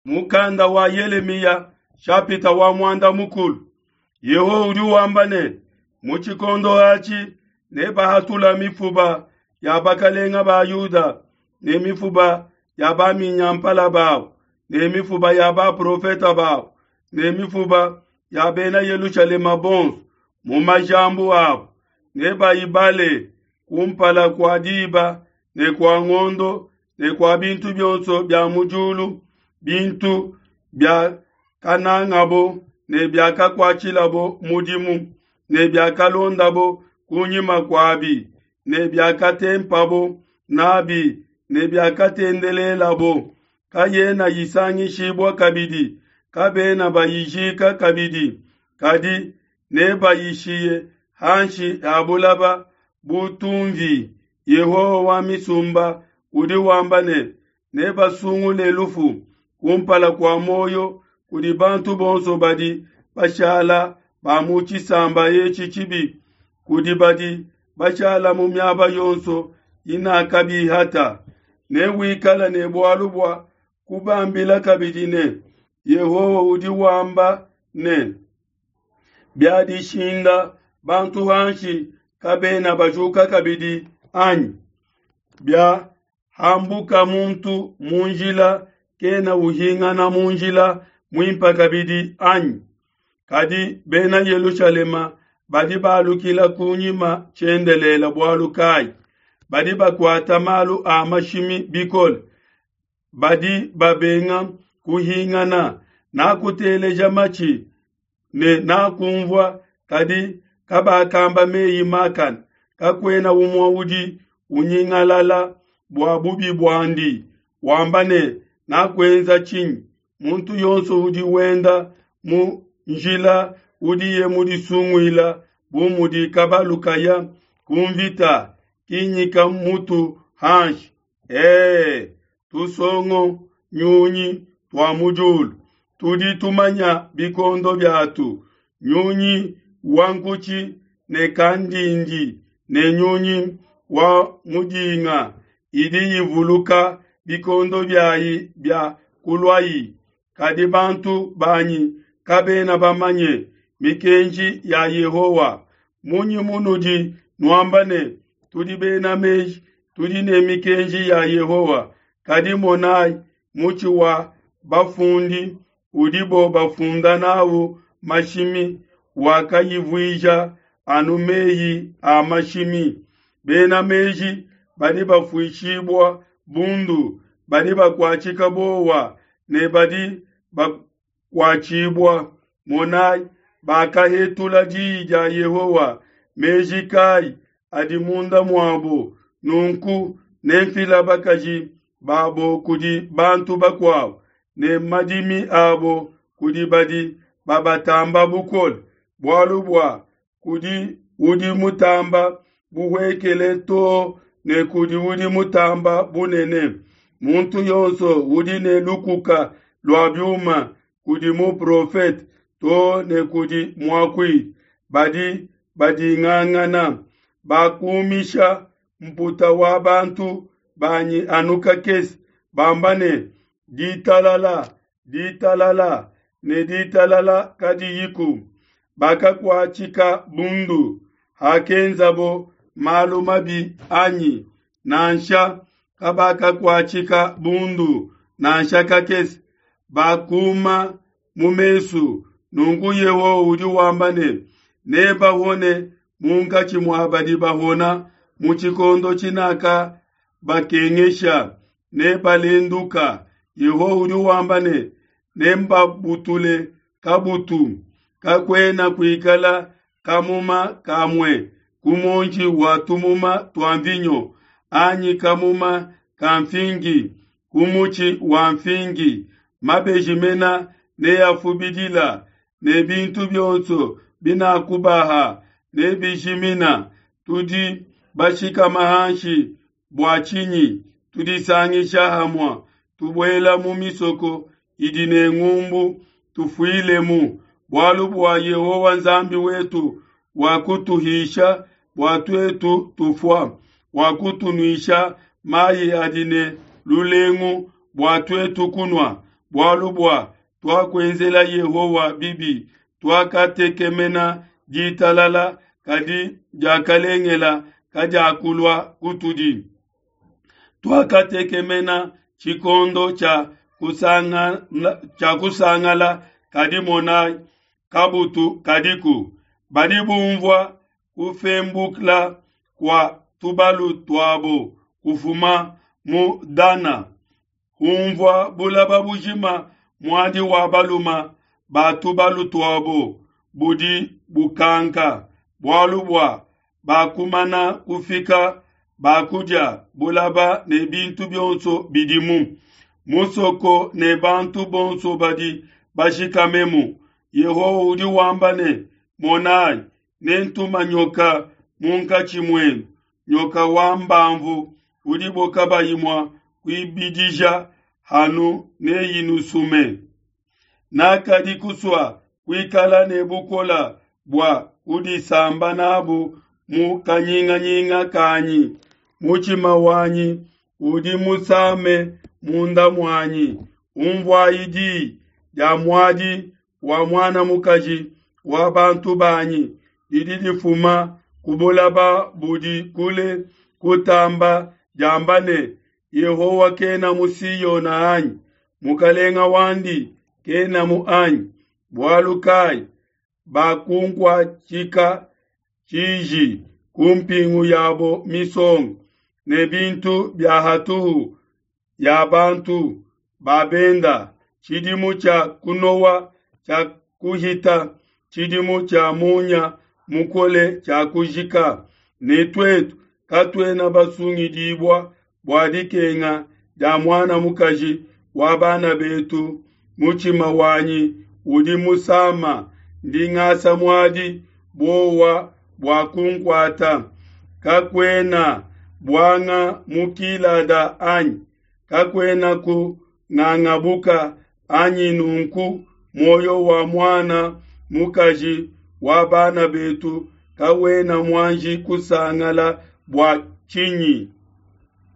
Mukanda wa Yelemiya shapita wa muanda mukulu. Yehowa udi wamba ne, mu tshikondo atshi nebahatula mifuba ya bakalenga ba Yuda ne mifuba ya baminyampala babu ne mifuba ya baprofeta babu ne mifuba ya bena Yelushalema bonso mu majambu abu, nebayibale kumpala kua diba ne kua ngondo ne kua bintu bionso bia mu diulu, bintu biakanangabo ne biakakuatshilabo mudimu ne biakalondabo kunyima kuabi ne biakatempabo nabi ne biakatendelelabo, kayena isangishibua kabidi, kabena bayijika kabidi, kadi nebayishiye hanshi ha bulaba bu tumvi. Yehowa wa misumba udi wamba ne, nebasungule lufu kumpala kua muoyo kudi bantu bonso badi bashala ba mu tshisamba etshi tshibi, kudi badi bashala mu miaba yonso inakabihata. Newikala ne bualu bua kubambila kabidi ne, Yehowa udi wamba ne, biadishinda bantu hanshi kabena bajuka kabidi anyi? Biahambuka muntu mu njila kena uhingana mu njila muimpe kabidi anyi? Kadi bena Yelushalema badi balukila kunyima tshiendelele bualu kayi? Badi bakuata malu a mashimi bikole, badi babenga kuhingana. Nakuteleja matshi ne nakumvua, kadi kabakamba meyi makane. Kakuena umue udi unyingalala bua bubi buandi, wamba ne, nakuenza tshinyi? Muntu yonso udi wenda mu njila udiye mudisunguila bu mudi kabalu kaya ku mvita kinyika mutu hanshi. Tusongo nyunyi tua mu diulu tudi tumanya bikondo biatu, nyunyi wa nkutshi ne kandindi ne nyunyi wa mudinga idi ivuluka bikondo biayi bia kuluayi. Kadi bantu banyi kabena bamanye mikenji ya Yehowa. Munyi munudi nuamba ne, tudi bena meji, tudi ne mikenji ya Yehowa? Kadi monai, mutshi wa bafundi udibo bafunda nawu mashimi wakayivuija anu meyi a mashimi. Bena meji badi bafuishibua bundu, badi bakuatshika bowa ne badi bakuatshibua. Monai, bakahetula diyi dia Yehowa, meji kai adi munda muabo? Nunku nemfila bakaji babo kudi bantu bakuabo, ne madimi abo kudi badi babatamba bukole, bualu bua kudi udi mutamba buhuekele too ne kudi udi mutamba bunene. Muntu yonso udi ne lukuka lua biuma kudi muprofete too ne kudi muakuidi, badi badingangana, bakumisha mputa wa bantu banyi anu kakese, bamba ne, ditalala, ditalala, ne ditalala kadiyiku. Bakakuatshika bundu hakenzabo malu mabi anyi? Nansha, kabakakuatshika bundu nansha kakese, bakuma mu mesu. Nunku Yehowa udi wamba ne, nebahone munkatshi mua badi bahona mu tshikondo tshinaka bakengesha, nebalenduka. Yehowa udi wamba ne, nembabutule kabutu, kakuena kuikala kamuma kamue ku muonji wa tumuma tua mvinyo, anyi kamuma ka mfingi ku mutshi wa mfingi. Mabeji mena neafubidila, ne bintu bionso binakubaha nebijimina. Tudi bashikama hanshi bua tshinyi? Tudisangisha hamua, tubuela mu misoko idi ne ngumbu, tufuilemu, bualu bua Yehowa Nzambi wetu wakutuhisha bua tuetu tufua, wakutunuisha mayi adi ne lulengu bua tuetu kunua. Bualu bua tuakuenzela Yehowa bibi, tuakatekemena ditalala, kadi diakalengela kadiakulua kutudi. Tuakatekemena tshikondo tshia kusangala, kadi monai, kabutu kadiku. Badi bumvua kufembukla kua tubalu tuabo kufuma mu Dana, humvua bulaba bujima muadi wa baluma ba tubalu tuabo budi bukanka, bualu bua bakumana kufika bakudia bulaba ne bintu bionso bidimu, musoko ne bantu bonso badi bashikamemu. Yehowa udi wamba ne, Monai, nentuma nyoka munkatshi muenu, nyoka wa mbamvu udibo kabayi mua kuibidija hanu neyinusume. Nakadi kusua kuikala ne bukola bua kudisamba nabu mu kanyinganyinga kanyi. Mutshima wanyi udi musame munda muanyi. Unvuayi di dia muadi wa muana mukaji wa bantu banyi didi difuma ku bulaba budi kule kutamba diamba ne, Yehowa kena mu Siona anyi? Mukalenga wandi kenamu anyi? Bualu kai bakunkuatshika tshiji ku mpingu yabo misonga ne bintu bia hatuhu ya bantu ba benda? Tshidimu tshia kunowa tshia kuhita, tshidimu tshia munya mukole tshia kujika, ne tuetu katuena basungidibua bua dikenga dia muana mukaji wa bana betu. Mutshima wanyi udi musama, ndi ngasa muadi, buowa bua kunkuata. Kakuena buanga mu Gilada anyi? Kakuena ku ngangabuka anyi? Nunku muoyo wa muana mukaji wa bana betu kawena muanji kusangala bua tshinyi?